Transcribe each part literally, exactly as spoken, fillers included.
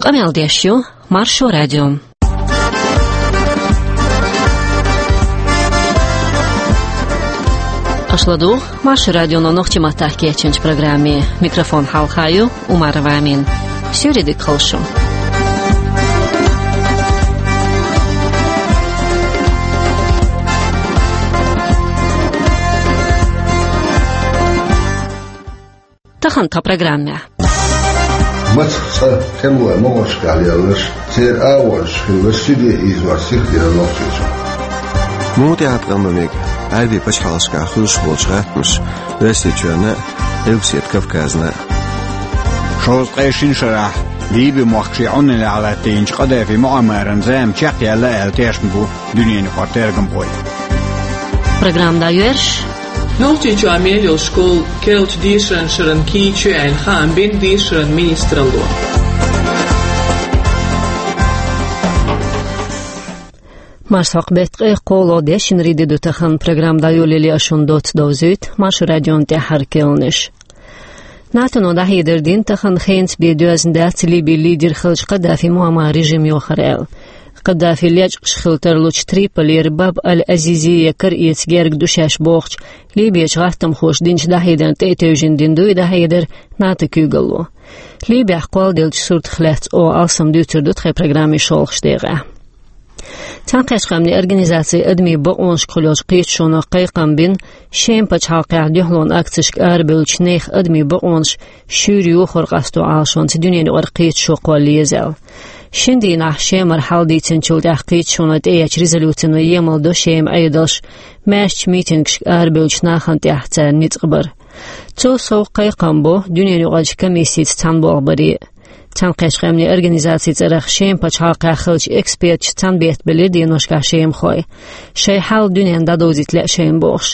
Къамел деш ю Маршо радио. Аша ладугӀу Маршо радионо нохчийн маттахь кечйинчу программе. Микрофон хьалха ю Умарова Амина. Суьйре дика хуьлда шун. Тахана тхан программехь. Мацах цӀа тӀемалой могӀаршкахь лелларш, церан агӀонаш хиларш сиха дӀаийзор сиха дина Нохчийчохь. Муха тӀехь къам бан мега Ӏаьрбийн пачхьалкхашкахь хуьлуш болчу гӀаттамаша Оьрсийчоьнна а, Къилбаседа Кавказна а? Шовзткъе шина шарахь Ливи-мохк шен Ӏуналлехь латтийначу Къадафи Муаммаран зама чекхъяьлла аьлла тешна бу дуьненан юкъара тергамхой. Программа дӀайоьрзуш. Нохчийчохь мел йолу школа керлачу дешаран шарна кийча ю аьлла хаам бина дешаран министралло. Марсхьокху беттан ткъе кхоалгӀа, дешнарийн де ду тахана. Программа дӀайолале ас шуна доцца довзуьйту Маршо радион тӀаьххьара керланаш. НАТОно дӀахьедар дина тахана хенца бен доьзна дац Ливин лидер хиллачу Къадафи Муаммаран режим йохар аьлла. Къадафи лечкъаш хила тарлучу Триполера Баб аль-Азизи я кара эца герга ду шаьш бохучу Ливичу гӀаттамхоша динчу дӀахьедарна тӀе а тевжина дина ду и дӀахьедар НАТОн куьйгалло. Ливехь кхолладеллачу суртах лаьцна оха алсам дуьйцур ду тхайн программин шолгӀачу декъехь. Цхьаьнакхеттачу Къаьмнийн Организацин адамийн бакъонашкахула йолчу кхеташоно кхайкхам бина Шеман пачхьалкхехь дуьхьалонан акцешка арабевллачу нехан адамийн бакъонаш шуьйра йохор къасто Ӏалашонца дуьненан юкъара кхеташо кхолла еза аьлла. Шина дийнахь Шемара хьал дийцинчул тӀаьхьа кхеташоно тӀеэцначу резолюцино емал до Шеман Ӏедалш маьршачу митингашка арабевллачу нахана тӀехь царна ницкъ бар. Цул сов кхайкхам бо дуьненан юкъарчу комиссица цхьаьна болх баре а. Цхьаьнакхеттачу Къаьмнийн Организацин цӀарах Шеман пачхьалкхехь хиллачу эксперташа цхьаьна беттабелира деношкахь шемахой, шайн хьал дуьненна дӀадовзийта лаьа шайна бохуш.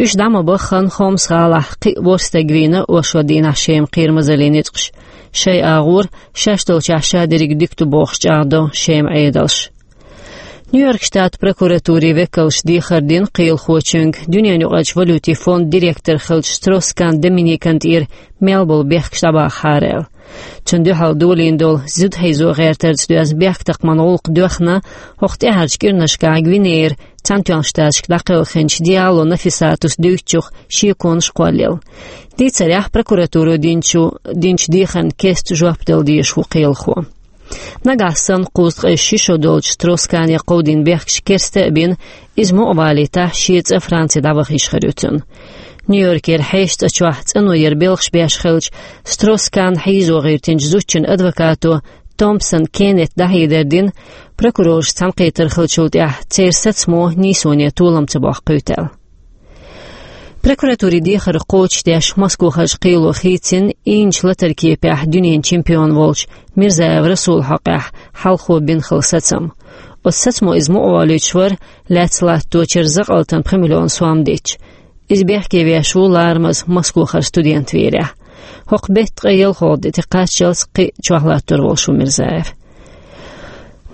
Уьш дӀа ма баххана, Хомс-гӀалахь кхин а ворхӀ стаг вийна оршот дийнахь Шеман кхерамазаллин ницкъаша. Шайн агӀор, шаьш долчохь ша дерриг дика ду бохуш, чӀагӀдо Шеман Ӏедалш. Нью-Йорк штатан прокуратурин векалша дехар дина кхелахочуьнга дуьненан юкъарчу валютин фондан директор хиллачу Строс-Кан Доминикана тӀера мел болу бехкаш дӀабахахьара аьлла. Цунна дуьхьал долийна долу зуда хьийзо гӀертарца доьзна бехктакхаман гӀуллакх доьхна хӀокху тӀаьхьарчу кӀирнашкахь Гвинеяра Цхьаьнатоьхначу Штаташка дӀакхелхинчу Диало Нафисатас дуьйцучух шеконаш кхоллаелла. Дийцарехь, прокуратуро динчу, динчу дехарна кеста жоп дала дезаш ву кхелахо. Нагахь санна кхузткъе ши шо долчу Строс-Кане кховдийна бехкаш керста а бина, иза мукъа валийтахь, шен цӀа Франце дӀаваха йиш хир ю цунна. Нью-Йоркера хьешан цӀа чохь цӀано яра белхаш беш хиллачу Строс-Кан хьийзо гӀиртинчу зудчун адвокато Томпсон Кеннета дӀахьедар дина, прокурораш цхьаьнакхетар хиллачул тӀаьхьа церан сацамо нийсоне толам ца боккхуьйту аьлла. Прокуратурин дехар кхочушдеш Москохарчу кхело хийцина, ийначу латаран кепехь дуьненан чемпион волчу Мирзаев Расулан хьокъехь хьалхо бина хилла сацам. Оцу сацамо иза мукъа волуьйтуш вара, лаьцна латточуьра закъалтана пхи миллион сом детташ. Иза бехке веш ву ларамаза Москохара студент верехь. ХӀокху беттан ткъе ялхолгӀа де тӀекхаччалц кхин а чохь латтор волуш ву Мирзаев.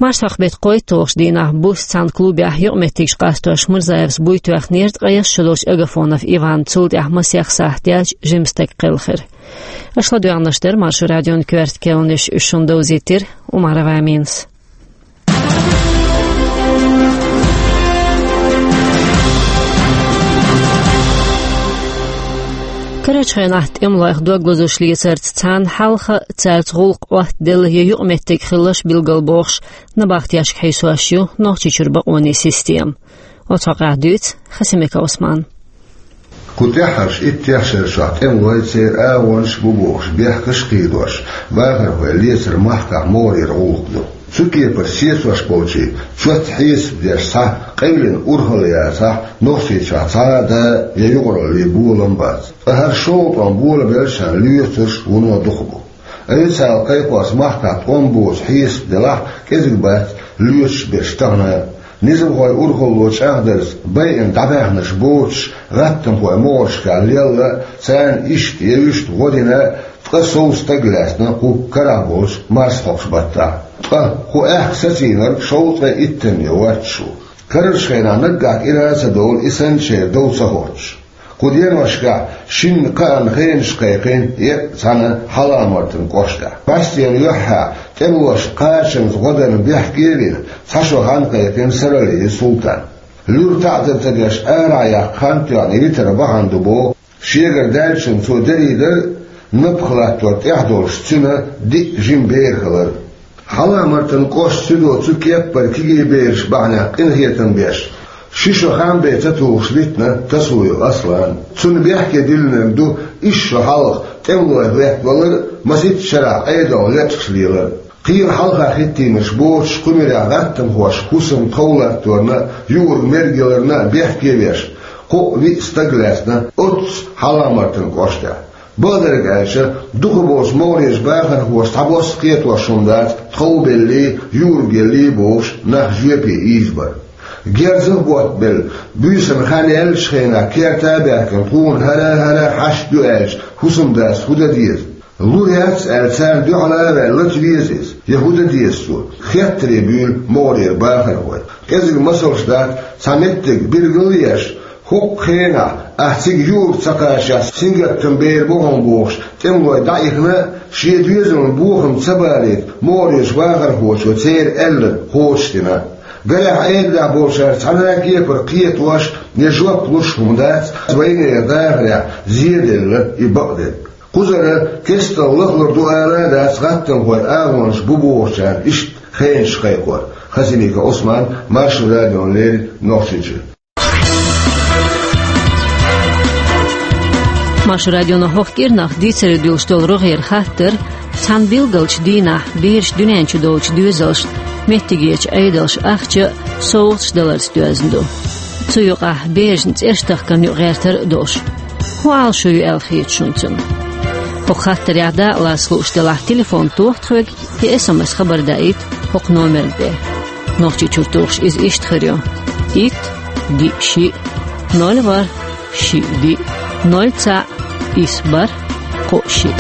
Марсхьокху беттан кхойтталгӀачу дийнахь буса цхьана клубехь юкъаметтигаш къастош Мирзаевс буй тоьхнера ткъе ялх шо долчу Агафонов Иванна, цул тӀаьхьа масех сахьт яьлча жима стаг кхелхира. Аша ладоьгӀнарш дара Маршо радион коьрта керланаш, уьш шуна довзийтира Умарова Аминас. Карарчу хенахь тӀемалойх дог лозуш лецарца цхьаьна хьалха цаьрца гӀуллакх Ӏоттаделла я юкъаметтиг хиларш билгалбохуш, набахтешка хьийсош ю Нохчийчуьра бакъонийн система. Оцу хьокъехь дуьйцу Хасимиков Ӏусмана. Кху тӀаьххьарчу иттех шарчохь тӀемалой, церан агӀонаш бу бохуш бехкаш а кхийдош, бахархой лецар махкахь могӀарера гӀуллакх ду. Цу кепара сецош болчийн чот хьесап деш схьа къевлина урхалла яцахь, Нохчийчохь цхьа а да я юкъараллин болам бац. Ткъа хӀара шолгӀа тӀом болабеллачарна лоьцурш вуно дукха бу. Официалан кхайкхош махкахь тӀом боцу хьесап делахь, кӀезиг бац лоьцуш берш тахана а. Низамхойн урхалло чӀагӀдарца, байина дӀабаьхнарш боцуш, гӀаттамхой могӀаршкахь лелла а, царна иштта я вуьшта гӀо дина а, ткъа сов стаг лаьцна кху карахь болчу марсхьокху баттахь. Ткъа кху аьхка сацийнарг шовзткъе иттанне воццуш ву. Карарчу хенахь наггахь кӀира а ца довла и санначеран дов ца хӀоттуш. Кху деношкахь шинна кхаанна хенаш кхайкхина еккъа цхьана Хьаламартан кӀоштахь. Баьстенан юьххьехь тӀемалошна кхачанца гӀо дарна бехке а бина, цхьа шо хан кхайкхина Саралиев Султана. Луьра таӀзар ца деш арахь яккха хан тоьхна йитар бахьана ду боху, шегара даьллачун цо дарийдар а, напха латтор тӀехь долуш цуьнан диъ жима бер хилар. Хьаламартан кӀоштан суьдо цу кеппара кегий бераш бахьанехь къинхетам беш, ши шо хан бен ца тухуш литтина Тасуев Аслан. Цунна бехке диллинарг ду исс шо хьалха тӀемалой хӀоьттинарг а, масийтта шарахь Ӏедалх лечкъаш лелар а. Кхин хьалха хӀиттийнарш боцуш кху муьрехь гӀаттамхоша хӀусам тхов латторна а, юург мергеларна а бехке а беш, кхоъ-виъ стаг лаьцна оццу Хьаламартан кӀоштехь. Бакъдерг аьлча, дукхахболчу могӀарерчу бахархоша цхьабосса кхетош хӀума дац тховбеллий, юург еллий бохуш нах жоьпе ийзабар. Герзах боттабелла, буьйсанна хан яьллачу хенахь керта а баьхкина, тхуна хӀара-хӀара хьашт ю аьлча, хӀусамдас хӀун дан деза? Лур яц аьлла, царна дуьхьал а ваьлла, лата веза иза, я хӀун дан деза цо? Хеттаре буьйлу могӀарера бахархой. КӀезиг масалш дац, цхьа меттиг билгал а еш, хӀокху хенахь, ахь цига юург ца кхачахь, сингаттам бер бу хьуна бохуш, тӀемалой дӀаихна а, шен доьзална бохам ца балийта, могӀарерчу бахархочо церан аьлларг кхочушдина. Гарехь, Ӏедалехь болчара цхьана а кепара кхетош я жоп луш хӀума дац вайнера дахарехь зеделла и бакъдерг. Кхузара кестта лахлур ду ала а дац, гӀаттамхойн агӀонаш бу бохучарна иштта хенаш кхайкхор. Хасимиков Ӏусман, Маршо радиона леррина, Нохчийчуьра. Маршо радионо хӀокху кӀирнах дийцаре дуьллуш долу рогӀера хаттар цхьана билгалчу дийнахь бераш дуьнен чу долчу доьзалшна меттигерчу Ӏедалша ахча а, совгӀаташ а даларца доьзна ду. Цу юкъахь берашна цӀераш тахкарна юкъа гӀертар а долуш. ХӀун Ӏалашо ю аьлла хета шуна цунна? ХӀокху хаттарехь дакъалаца лууш делахь, телефон тоха тхоьга я эс эм эс хабар даийта хӀокху номерна тӀе. Нохчийчуьра тухуш иза иштта хир ю: итт, диъ, шиъ, ноль, ворхӀ, шиъ, диъ, ноль, цхьаъ, исс, бархӀ, кхоъ, шиъ.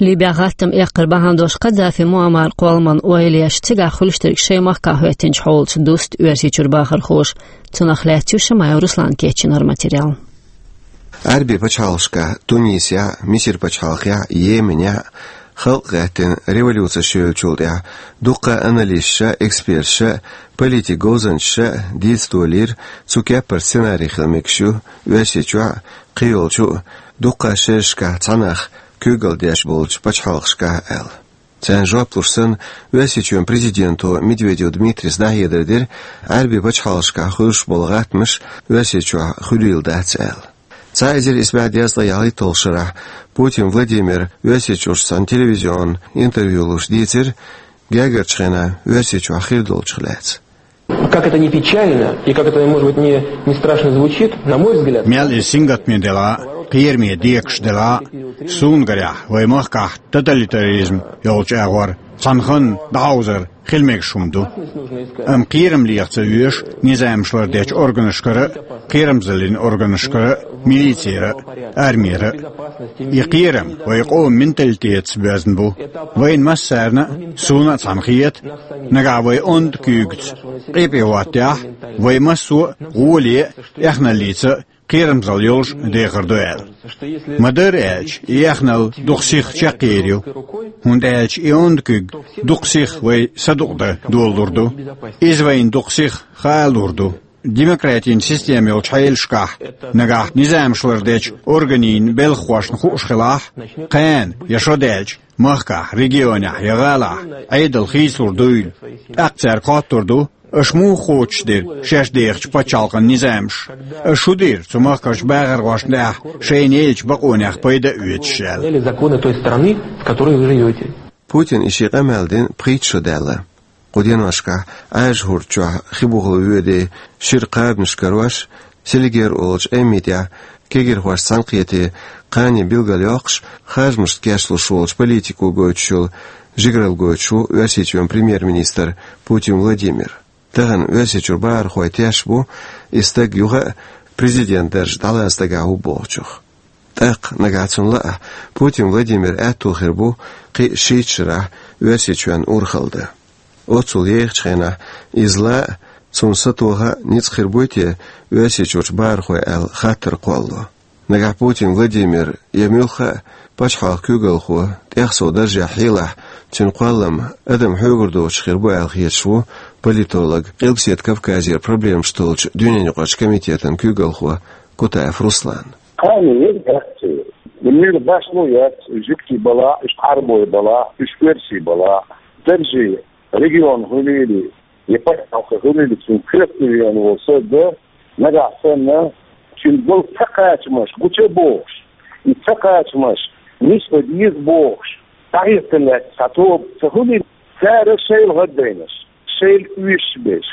Ливехь гӀаттам эккхар бахьана долуш Каддафи Муаммар кхолламан ойла еш, цигахь хуьлуш дерг шайн махкахь хӀоьттинчу хьолаца дуста Оьрсийчуьра бахархоша. Цунах лаьцна ю Шамаев Руслана кечйинарг материал. Ӏаьрби пачхьалкхашкахь, Тунисехь а, Мисир пачхьалкхехь а, Йеменехь а, халкъ гӀаьттина революцеш йолчул тӀаьхьа, дуккха а аналисташа а, эксперташа а, политик говзанчаша а дийца долийра, цу кеппара сценарий хила мегаш ю Оьрсийчохь а, кхийолчу а, дуккха а шерашкахь цхьа нах куьйгалла деш болчу пачхьалкхашкахь а аьлла. Царна жоп луш санна, Оьрсийчоьнан президенто Медведев Дмитрийс дӀахьедар дира, Ӏаьрби пачхьалкхашкахь хуьлуш болу гӀаттамаш Оьрсийчохь хуьлийла дац аьлла. Цхьа эзар исс бӀе дезткъе ялхитталгӀачу шарахь Путин Владимира Оьрсийчуьрчу цхьана телевизионан интервью луш дийцира гергарчу хенахь Оьрсийчохь хир долчух лаьцна. Как это не печально и как это, может быть, не, не страшно звучит, на мой взгляд, Мел иза сингаттаме делахь а, кхераме декаш делахь а, суна гарехь, вайн махкахь тоталитаризм йолчу агӀор цхьана ханна дӀахьовзар хила мегаш хӀума ду. Амма кхерам леха ца оьшу низамаш лардечу органашкара а, кхерамзаллин органашкара а, милицера а, армера а. И кхерам вайн къоман менталитетаца боьзна бу. Вайна массарна а, суна а цхьаьна хета, нагахь вай онда куьйгаца къепе хӀоттахь, вай массо а гӀоле а, эхналлица а кхерамзалла йолуш дехар ду аьлла. Ма-дарра аьлча, и эхналла дукха сиха чекхъер ю, хӀунда аьлча и онда куьг дукха сиха вай садукъадан долалур ду. Иза вайна дукха сиха хаалур ду. Демократин система йолчу хьелашкахь, нагахь низамаш лардечу органийн белхахошна хууш хилахь, кхана я шо даьлча, махкахь, регионехь я гӀалахь Ӏедал хийцалур дуйла. ТӀаккха цаьрга хоттур ду, аша муха кхочушдира шаьш дехачу пачхьалкхан низамаш? Аша хӀун дира цу махкарчу бахархошна тӀехь шайна еллачу бакъонех пайда а оьцуш аьлла? Или законы той страны, в которой вы живёте. Путина и шен къамел дина пхийтта шо даьлла. Кху деношкахь Ӏаьржа хӀорда чохь хи бухал воьдий шира кхабанаш карош, Селигер олучу Ӏеммин тӀехь кегирхошца цхьаьнакхетий кхане билгалйоккхуш, харжамашца кечлуш волчу политико гойтуш йолу жигаралла гойтуш ву Оьрсийчоьнан премьер-министр Путин Владимир. Тахана Оьрсийчуьра бахархой тешна бу, и стаг юха а президент дарж дӀалаца дагахь ву бохучух. ТӀаккха нагахь цунна лаахь, Путин Владимиран аьтто хир бу кхин а шийтта шарахь Оьрсийчоьнна урхалла дан. Оццул ехачу хенахь иза ла а, Цунна сатоха а, ницкъ хир буй те Оьрсийчуьрчу бахархой аьлла хаттар кхоллало. Нагахь Путин Владимир я муьлхха а пачхьалкхан куьйгалхо, тӀех сов даржехь хьелахь, цуьнан кхоллам адам хьоьгур доцуш хир бу аьлла хеташ ву политолог, Къилбаседа Кавказера проблемаш толлучу дуьненаюкъарчу комитетан куьйгалхо Кутаев Руслан. Кхана яц, муьлха башхало яц, жуьгтий балахь, уьш Ӏарбой балахь, уьш оьрсий балахь, даржий регион хуьлийла, я пачхьалкх хуьлийла, цуьнан коьртехь веана волу стаг, нагахь санна, цуьнан болу ца кхачамаш гуча а бохуш, и ца кхачамаш нисбан деза бохуш, дӀахӀиттина лаьтташ цхьа тоба ца хуьлийла, цара шайла гӀаддайнаш, шайла оьшуш берш,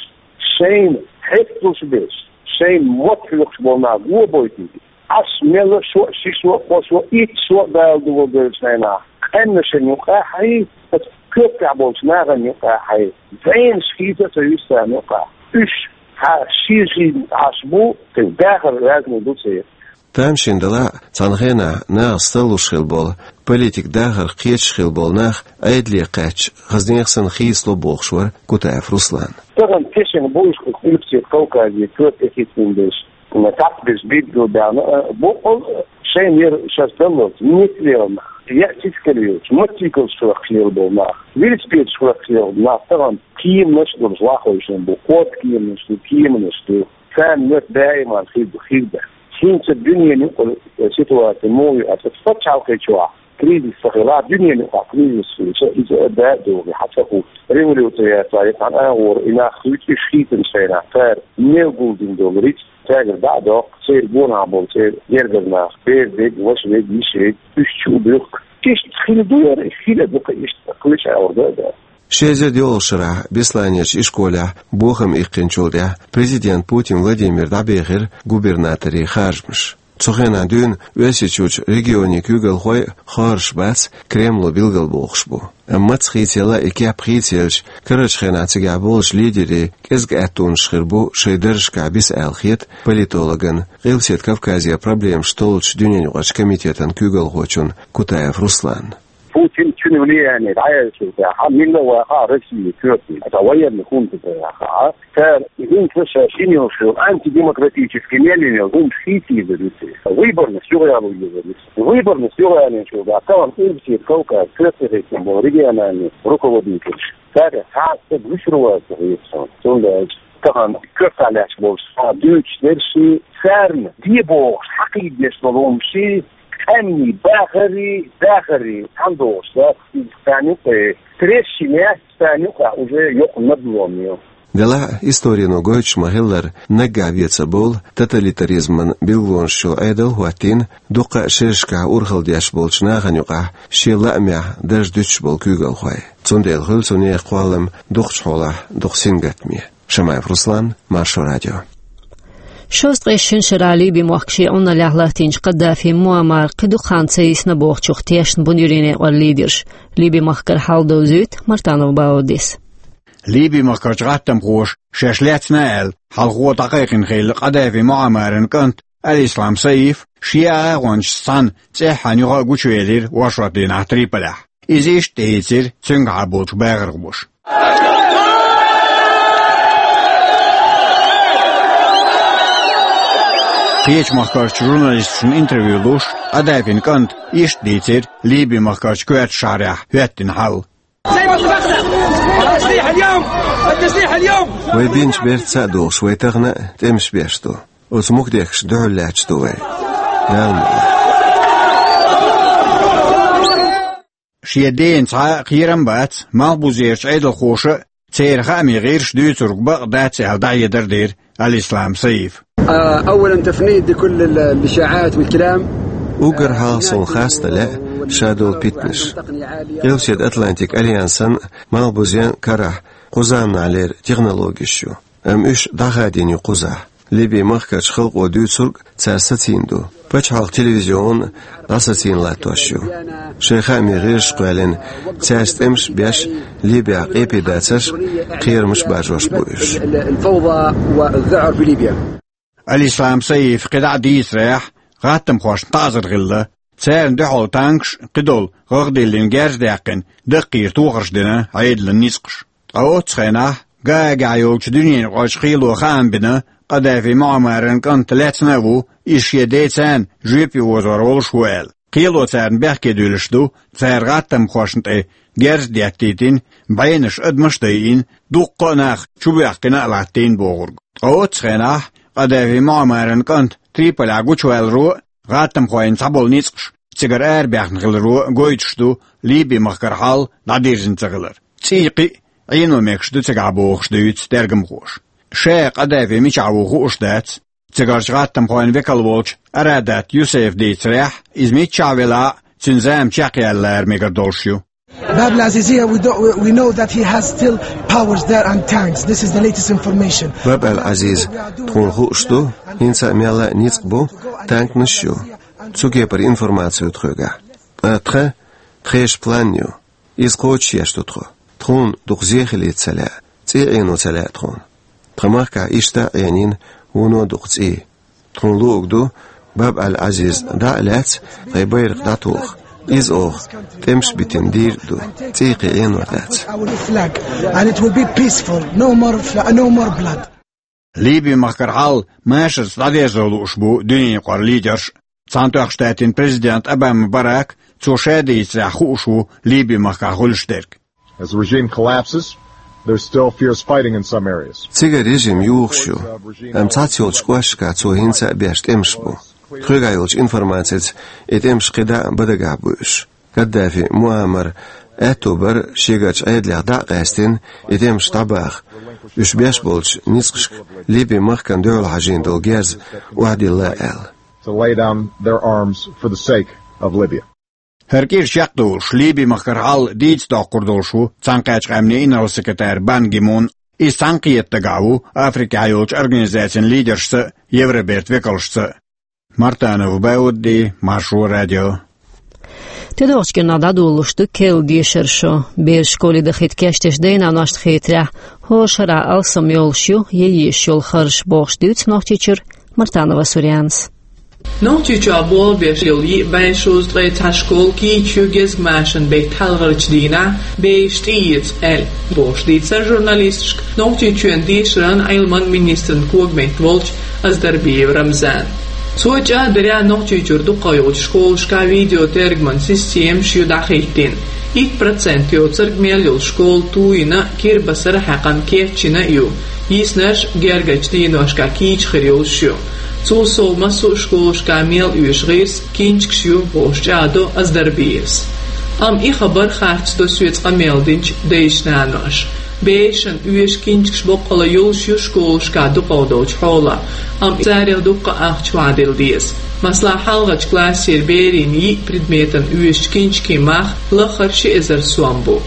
шайна хьесталуш берш, шайна мотт хьоькхуш болу нах го а бойтийла, Ӏаш мелла шо а, ши шо а, кхо шо а, итт шо а Дала дуьхьал девлла шайна, къаьмнашна юкъахь а, аса коьртехь болчу нахана юкъахь а, зӀенаш хийца а ца юьсу царна юкъахь. Уьш цхьа шен-шен Ӏаш бу, церан дахар разный ду церан. Тамашийна делахь а, цхьана хенахь нахаца таллуш хилла болу, политикан дахарх кхеташ хилла болу нах Ӏедале кхаьчча, хаза нехан санна хийцало бохуш вара Кутаев Руслан. Тахана тешна бу уьш Къилбаседа Кавказе коьрта тӀехӀиттийна берш, цхьацца берш билгалбаьхна, а, боккъал а шайна яра шаьш даллалц, ницкъ лелла нах, яа сискал йоцуш, мотоциклаш хьоькхуш лелла болу нах, велосипедаш хьоькхуш лелла нах, тахана кеманаш а долуш лахой шуна бу, кхо кеманаш ду, кеманаш ду. Царна моьтту даиман хир ду, хир дац. ХӀинца дуьненан юкъара ситуаци муха ю аьлча, пачхьалкхе чохь кризис ца хилахь, дуьненан юкъахь кризис хилча, иза а да а догӀий, хьан ца хӀутту. Революци яцахь, я цхьана агӀора и нах хуьйцу, уьш хийцинчу хенахь, цара мел гулдина долу рицкъ цаьргара дӀа а доккху, церан гонахь болу церан гергара нах, бер дерг, ваша верг, йиша верг, уьш чу а буьхку. Иштта хила ду яра, хила а ду-кх иштта, кхечу агӀор да а да. Ши эзар йолалгӀачу шарахь Бесланерчу ишколехь бохам иккхинчул тӀаьхьа президент Путин Владимир дӀабехира губернаторийн харжамаш. Цу хенахь дуьйна Оьрсийчуьрчу регионийн куьйгалхой а хоржуш бац, Кремло билгалбохуш бу. Амма маца хийцаелла и кеп хийцаелча, карарчу хенахь цигахь болчу лидерийн кӀезиг аьттонаш хир бу шайн даржашкахь биса аьлла хета политологна, Къилбаседа Кавказера проблемаш толлучу дуьненаюкъарчу комитетан куьйгалхочунна Кутаев Русланна. Путин, цуьнан влияние дӀаяьллачул тӀаьхьа, милла а вахахь Россия коьрте, аса военный хунта тӀе вахахь, цара хӀинца ша шина йолуш йолу антидемократический мел йина йолу хӀумаш хийца йизар ю церан. Выборность юхаяла йизар ю. Выборность юхаялийначул тӀаьхьа тахана Къилбаседа Кавказ коьрте хӀиттина болу региональный руководителаш, цаьргахь цхьа а стаг вуьшур вац ца хета суна. Цундела тахана коьртехь лаьтташ болчу схьа дуьйцуш дерш, царна де бохуш, хьакхийдеш долу хӀумаш, къаьмнийн бахарий, дахарий, цхьаьна догӀуш дац, иза царна юкъе, трещинаш царна юкъахь уже йоккха надлом ю. Делахь а, историно гойтуш ма-хиллара, наггахь вен ца болу, тоталитаризман билгалонаш йолу Ӏедал хӀоттийна дуккха а шерашкахь урхалла деш болчу нахана юкъахь шен лаамехь дарж дуьтуш болу куьйгалхой. Цундела хуьлу цу нехан кхоллам дукхачу хьолахь дукха сингаттаме. Шамаев Руслан, Маршо радио. Шовзткъе шина шарахь Ливи мохк шен Ӏуналлехь латтийначу Каддафи Муаммара кхин дукха хан ца йисна бохучух тешна бу Ӏуьйренан некъан лидерш. Ливи махкара хьал довзуьйту Мартанов Баудис. Ливи махкарчу гӀаттамхоша шаьш лаьцна аьлла, хьалхо дӀакхайкхина хилла Каддафи Муаммаран кӀант Аль-Ислам Саиф шен агӀончашца цхьаьна цӀеххьана юха а гучувелира оршот дийнахь Триполехь. Иза иштта тӀеийцира цуьнгахьа болчу бахархоша. Кхечу махкарчу журналисташна интервью луш, Каддафин кӀанта иштта дийцира Ливи махкарчу коьртачу шахьарехь хӀоьттина хьал. Вай бинчу бертаца а долуш, вай тахана а тӀемаш беш ду. Оцу мукдехкашна дуьхьал лаьтташ ду вай. Дала мукъ лахь. Шен дена цхьа а кхерам бац, малхбузерчу Ӏедалхоша а, церан хаамийн гӀирсаша дуьйцург бакъ дац аьлла, дӀахьедар дира Аль-Ислам Саифа. آه، أولاً تفنيد لكل ال-، الإشاعات والكلام. Уггар хьалха суна харцдала лаьа ша долу питанаш. Къилбаседа Атлантик Альянсан а, малхбузен а карахь кху заманахьлера технологеш ю. Амма уьш дӀахадийна ю кхузахь. Ливи махкарчу халкъо дуьйцург цара сацийна ду. Пачхьалкхан телевизион а дӀасацийна латтош ю. Шайн хаамийн гӀирсаш кхоьллина, цаьрца тӀемаш а беш, Ливехь къепе дацарш а, кхерамаш а баржош бу уьш. الفوضى والذعر في ليبيا. Аль-Ислам Саифа кхидӀа а дийцарехь, гӀаттамхошна таӀзар хилла, царна дуьхьал танкаш а, кхидолу гӀагӀ диллина герз а даьккхина, даккхийра тохарш дина Ӏедалан ницкъаша. Ткъа оццу хенахь Гаагахь йолчу дуьненаюкъарчу кхело хаам бина, Къадафи Муаммаран кӀант лаьцна а ву, иза шен ден царна жоьпе озор волуш ву аьлла. Кхело царна бехке дуьллуш ду, цара гӀаттамхошна тӀе герз а деттийтина, бӀенаш, адамаш а дайина, дуккха а нах чубоьхкина а латтийна бохург. Ткъа оццу хенахь Къадафи Муаммаран кӀант Триполехь гучуваьлларо а, гӀаттамхойн цхьаболу ницкъаш цигара арабаьхна хиларо а гойтуш ду Ливи-махкара хьал дӀадирзина ца хилар. ЦӀий кхин а Ӏено мегаш ду цигахь бохуш дуьйцу тергамхоша. Ша Къадафи мичахь ву хууш дац. Цигарчу гӀаттамхойн векал волчу Арадат Юсефа дийцарехь, иза миччахь велахь а, цуьнан зама чекхъяла лара мегар долуш ю. Bab al-Azizia, we, don't, we, we know that he has still powers there and tanks. This is the latest information. Баб ал-Азиз, тхуна хууш ду, хӀинца а мелла а ницкъ бу, танканаш а ю. Цу кепара информаци ю тхоьгахь. Ткъа тхан, тхешан план ю. Иза кхочушъеш ду тхо. Тхуна дукха зе хилийта ца лаьа, цӀий Ӏено ца лаьа тхуна. Тхан махкахь иштта а Ӏенийна вуно дукха цӀий. Тхуна луург ду, Баб ал-Азиз дӀа а лаьцна, тхайн байракх дӀатоха. Иза оха тӀемаш битина дийр а ду, цӀий кхин Ӏенор дац. Our flag, and it will be peaceful. No more fla-, no more blood. Ливи-махкара хьал машарца дӀадерзо лууш бу дуьненаюкъара лидерш. Цхьаьнатоьхна Штатийн президент Обама Барак, цо ша дийцарехь, хууш ву Ливи-махкахь хуьлуш дерг. As the regime collapses, there's still fierce fighting in some areas. Цигара режим юхуш ю, амма цхьацца йолчу кӀошташкахь цо хӀинца а беш тӀемаш бу. Тхоьгахь йолчу информацица и тӀемаш кхидӀа а бан дагахь бу уьш. Каддафи Муаммар аьтто бара шегарчу Ӏедалех дӀа а къаьстина, и тӀемаш дӀабаха, уьш беш болчу ницкъашка Ливи-махкана дуьхьал хьажийна долу герз охьадилла аьлла. To lay down their arms for the sake of Libya. ХӀара кӀира чекхдолуш, Ливи-махкара хьал дийца доккхур долуш ву Цхьаьнакхеттачу Къаьмнийн инарла-секретарь Бан Ги Мун. Иза цхьаьнакхета дагахь ву Африкехь йолчу организацийн лидершца а, Евробертан векалшца а. Мартанов Баудди, Маршо радио. ТӀедогӀучу кӀирнахь дӀадолалуш ду керла дешаран шо. Бераш школе дахийта кечдеш дайн-наношна хетарехь, хӀора шарахь алсам йолуш ю ян езаш йолу харжаш, бохуш дуьйцу Нохчийчуьра Мартанова Сурьянас. Нохчийчохь болх беш йолу йиъ бӀе шовзткъе цхьа школа кийча ю гезгмашан беттан хьалхарчу дийнахь, бераш тӀеэца аьлла, бохуш дийцира журналисташка Нохчийчоьнан дешаран а Ӏилман а министран когаметта волчу Аздарбиев Рамзана. Цо чӀагӀдарехь, Нохчийчуьра дукхах йолчу школашкахь видеотергаман системаш ю дӀахӀиттина. Итт процент йоцург мел йолу школа туйина, кирбасар а хьаькхна, кечйина а ю, йиснарш гергарчу дийношкахь кийча хир йолуш ю. Цул сов, массо а школашкахь мел оьшу гӀирс, кинчкаш ю, бохуш чӀагӀдо Аздарбиевс. Амма и хабар харцдо соьца къамел динчу дайша-наноша. Берашна оьшу кинчкаш боккъала йолуш ю школашкахь дукхах долчу хьолах, амма царех дуккха а ахча охьадилла деза. Масала, хьалхарчу классера берийн йиъ предметан оьшучу кинчкийн мах лаххара ши эзар сом бу.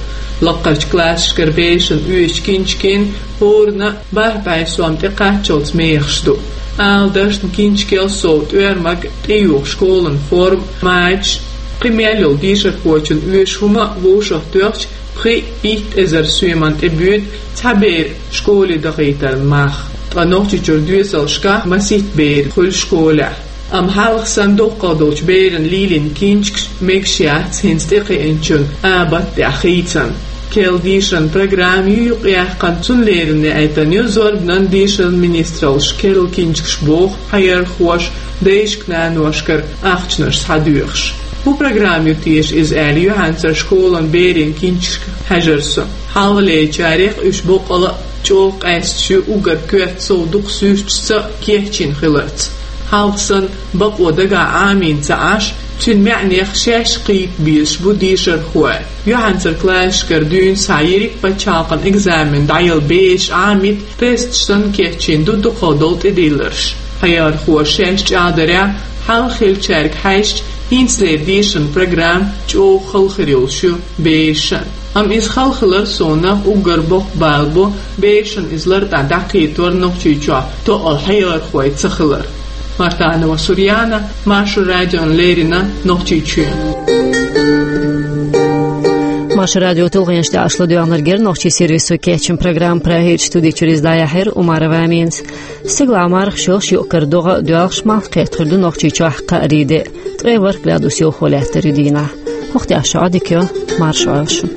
Лакхарчу классашкара берашна оьшучу кинчкийн хӀоранна бархӀ бӀе сом тӀекхаччалц мехаш ду. Ала дашна, кинчкел сов тӀоьрмаг, тӀеюха школан форма, мачаш, кхин мел йолу дешархочун оьшу хӀума вовшахтоьхча, пхи-итт эзар соьман тӀе буьйцу цхьа беран школе дахийтаран мах. Ткъа Нохчийчуьра доьзалшкахь масийтта бер хуьлу школехь. Амма хьалха санна дукхах долчу берашна лелийна кинчкаш мегаш яц хӀинца тӀекхиъначун абатта тӀехь хийцан. Керла дешаран программа ю юкъаяьккхина, цунна леррина яийтина ю зорбанан, дешаран министраллаш керла кинчкаш боху хьаярхоша дайшка-наношкара ахчанаш схьадоьхуш. ХӀун программа ю теша иза аьлла, юьхьанцара школан берийн кинчкашка хьаьжира со. Хьалхалерчарех уьш боккъала а чӀогӀа къаьсташ ю, уггар коьрта сов дукха суьрташца а кечйина хиларца. Хьалха санна бакъо дагахь Ӏамийна ца Ӏаш, цуьнан маьӀнех шаьш кхета безаш бу дешархой. Юьхьанцара классашкара дуьйна схьа йиъиг пачхьалкхан экзамен дӀаяла бераш Ӏамийта, тесташ санна кечйина ду дукхах долу тӀедилларш. Хьаярхоша шаьш чӀагӀдарехь, хьалха хиллачаьрга хьаьжча, хӀинцалера дешаран программа чӀогӀа хала хир йолуш ю берашна. Амма иза хала хилар совнаха уггар боккха бала бу берашна иза лартӀехь дӀакхетор Нохчийчохь тоъал хьаярхой ца хилар. Мартанова Сурьяна, Маршо радиона леррина, Нохчийчоь. Маршо радион тулгӀенаш тӀехь аша ладоьгӀнарг яра нохчийн сервисо кечйина программа. Прагерчу студи чуьра иза дӀаяьхьира Умарова Аминас. Стигалахь мархаш йолуш, юкъ-кара догӀа а доьлхуш, малх кхетта хир ду Нохчийчохь кхаарин де. Ткъе ворхӀ градус йовхо лаьттар ю дийнахь. ХӀокху тӀехь шун Ӏадика йо, марша Ӏойла шун.